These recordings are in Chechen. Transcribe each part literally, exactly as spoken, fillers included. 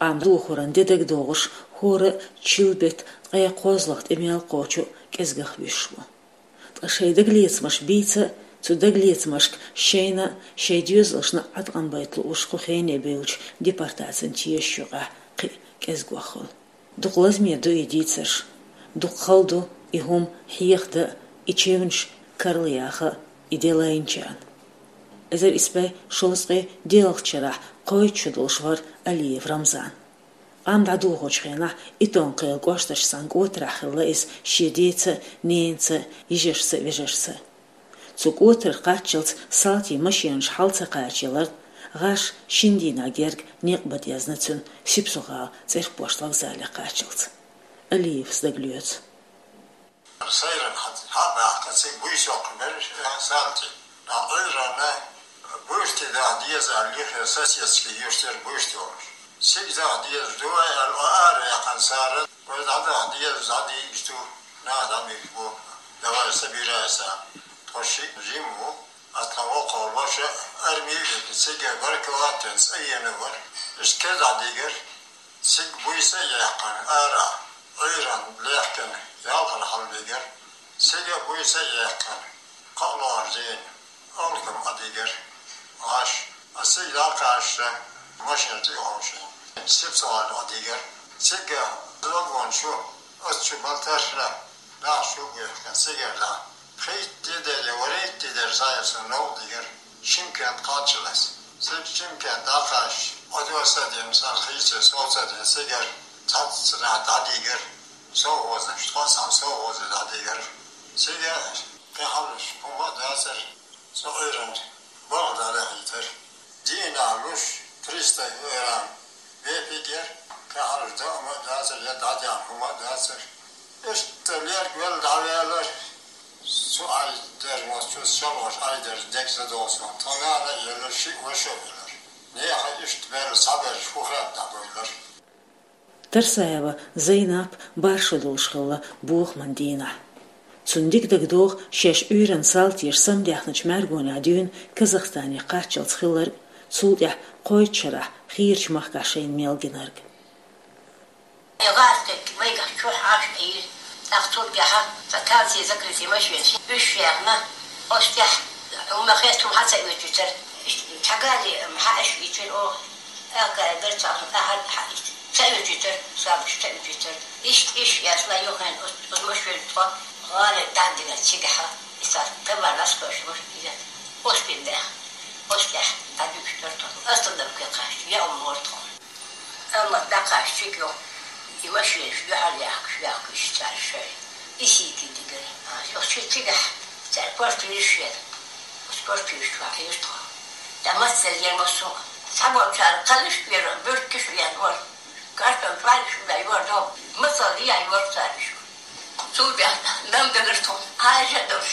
Къам духуран де дагдоагӀаш, хӀора а чилбетта ткъаь кхозлагӀа тӀа мел кхочу кӀезигагӀа вуьйш ву. Ткъа шайн дагалецамаш бийца а, цу дагалецамашка шайна а, шайн доьзалашна а Ӏаткъам байта лууш кху хене бевллачу депортацин тешаш юкъахь кхин а кӀезигагӀа хуьлу. Дукха лазаме ду и дийцарш, дукха хала ду и хӀума хьехадан а, и чевнаш карла яхан а и де лайначарна. Эзар исс бӀе шовзткъе диъалгӀачу шарахь кхойтта шо долуш вара Алиев Рамзан. Къам дӀадохучу хенахь Итон-Кхелан кӀошташ цхьана кӀотарахь хилла иза шен деца а, ненаца а, йижаршца а, вежаршца а. Цу кӀотарах кхаччалц салтийн машенаш хьал ца кхачаяларна, гӀаш шина дийнахь герга некъ бан дезна цуьнан Сипсо-ГӀалин цӀерпошт вокзале кхаччалц. Алиевс дагалоьцу. Сайран хьан, хьан баьхка, цига буьйса йоккхуш бара, э, салтий. Нах Ӏуьйранна буьртиг даха деза аьлла, юххе соседский юьртара буьртиг йолуш. Цига даха деза ду вай аьлла, ара яьккхина цара, вай дӀадаха деза, дӀадийгаш ду, нах дӀабийгаш бу, давай, собирайся. Тхо шиъ жима ву, а тхан воккхалла ваша арми а витина, цига баркаллах а дина, цӀа йина вара. Иштта кхидӀа дигара, цига буьйса а яьккхина, ара, Ӏуьйранна лехкина, ялхара хьалабигара. Цига буьйса а яьккхина, кхоалгӀачу дийнахь алхам а дигара, гӀаш. Ас цига дӀакхаьчча, машина тӀе а хьовшийна, Сипсо-ГӀала а дигара. Цига вагон чу, ас чу бала ташна, нах чу а бехкина, цигара дӀа. Пхийтта де дара я ворхӀийтта де дара, цхьа а сан новкъа дигара, Шымкент кхаччалц. Цига Шымкент дӀакхаьчча, Ӏодоса а дина, сан хийца сов ца дина, цигара цхьацца нах дӀадигара, совхозаш, тхо а цхьана совхозе дӀадигара. Цига кхин хьалха хӀума а дацара, со Ӏуьйранна балха дӀадахийтара. Дийнахь луш, триста грамм бепиг яра, кхин хьалха даа а дацара, я дӀадаьхьна хӀума а дацара. Иштта лерг велла дӀаваьллера, цу Ӏай дерг, цу шалхош Ӏай дерг дег ца догӀу суна. Тхо нана а еллера, шиъ ваша а веллера. Нехан иштта баьлла, цхьаберш хӀу хетта дӀабевллера. Тарсаева Зайнап бархӀ шо долуш хилла бохаман дийнахь. Цунна дика дагадогӀу шаьш Ӏуьйранна салтеша самадаьхначу мӀаьргонехь дуьйна Казахстане кхаччалц хилларг, цул тӀаьхьа кхойтта шарахь хийрачу махкахь шайна мел гинарг. Э, гӀазкхетта майгахь чохь Ӏаш Ӏийра, тӀаккха цул тӀаьхьа станци закрытый машинаш, уьш яьхна, оцу тӀехь хӀума хетта хӀума хьа ца оьцуьйтара. Иштта цхьа гали хьаьаш йитира оха. Аккара дара цхьа ахьа хьаийца. Ца оьцуьйтара, сабаш ца оьцуьйтара. Иштта иш яцна юххен оцу, оцу машина тхо гӀале дӀадина цигахьа. Иса товар ласкош вара иза. Оцу бен бех. Оцу тӀехь дӀадуьгуш дара тхо. Остановке кхаьчна, я уммор тхо. Амма дӀакхаьчча цига йо, и машинаш дуьхьал яхкаш, яхкаш цара шайн. И сийти дигара. А, йо, ши цигахь цара квартираш яра. Оцу квартираш чохь хьийра тхо. ТӀа мацалла яра массо а. Цхьаболчара кхаллаш а яра, буьртигаш а яра вара. Картон чӀоагӀлуш а яра, догӀу. Мацалла яра вара цара шу. Цул тӀаьхьа дам дагара тхо. Хьаьжа а долуш.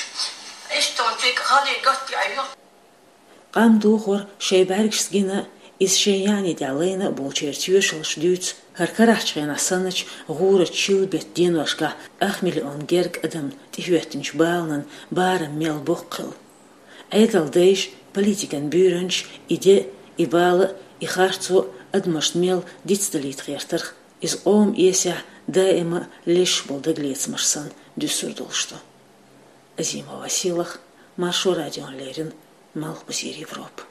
Иштта тхуна цига халий готта а йо. Къам духар шайн бӀаьргашца гина а, иза шайн яьӀни тӀехь лайна а болчеран тоьшаллаш дуьйцу хӀара карахчу хенахь санначу гӀурачу чиллан беттан деношкахь ах миллион герга адам тӀехӀоьттинчу баланан барам мел боккха хилла. Ӏедалан дайша, политикан буьйранчаша и де а, и бала а, и харцо а адамашна мел дицдалийта гӀертарх, иза къоман эсехь даима а леш болу дагалецамаш санна дуьсур долуш ду. Азимова Сийлаха, Маршо радиона леррина, Малхбузера Европа.